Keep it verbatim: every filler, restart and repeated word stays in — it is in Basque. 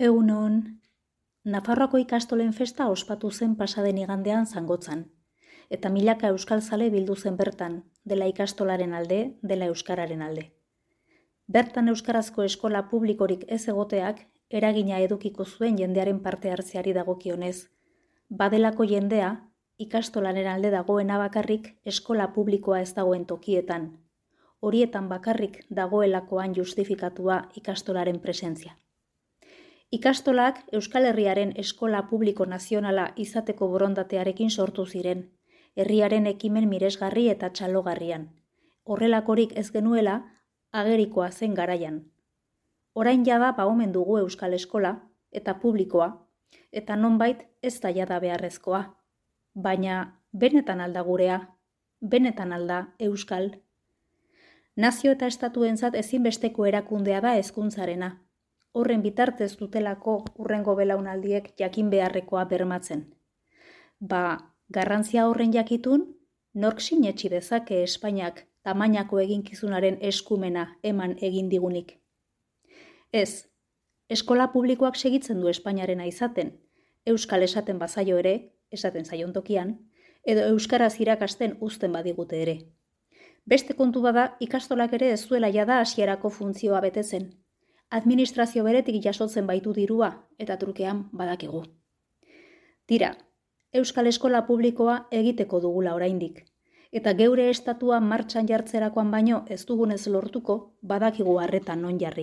Egunon, Nafarroako ikastolen festa ospatu zen pasaden igandean Zangotzan, eta milaka euskalzale bildu zen bertan, dela ikastolaren alde, dela euskararen alde. Bertan euskarazko eskola publikorik ez egoteak eragina edukiko zuen jendearen parte hartzeari dagokionez, badelako jendea ikastolaren alde dagoena bakarrik eskola publikoa ez dagoen tokietan, horietan bakarrik dagoelakoan justifikatua ikastolaren presentzia. Ikastolak Euskal Herriaren eskola publiko nazionala izateko borondatearekin sortu ziren, herriaren ekimen miresgarri eta txalogarrian. Horrelakorik ez genuela, agerikoa zen garaian. Orain jada ba omen dugu Euskal Eskola eta publikoa, eta nonbait ez da jada beharrezkoa. Baina benetan alda gurea, benetan alda Euskal. Nazio eta estatuentzat ezinbesteko erakundea da hezkuntzarena. Horren bitartez dutelako hurrengo belaunaldiek jakin beharrekoa bermatzen. Ba, garrantzia horren jakitun, nork sinetsi dezake Espainiak tamainako eginkizunaren eskumena eman egin digunik. Ez, eskola publikoak segitzen du Espainiarena izaten, euskal esaten bazaio ere, esaten zaion tokian, edo euskaraz irakasten uzten badigute ere. Beste kontu bada, ikastolak ere ez duela jada hasierako funtzioa betetzen. Administrazio beretik jasotzen baitu dirua eta trukean badakigu. Tira, Euskal Eskola publikoa egiteko dugula oraindik, eta geure estatua martxan jartzerakoan baino ez dugunez lortuko badakigu harretan non jarri.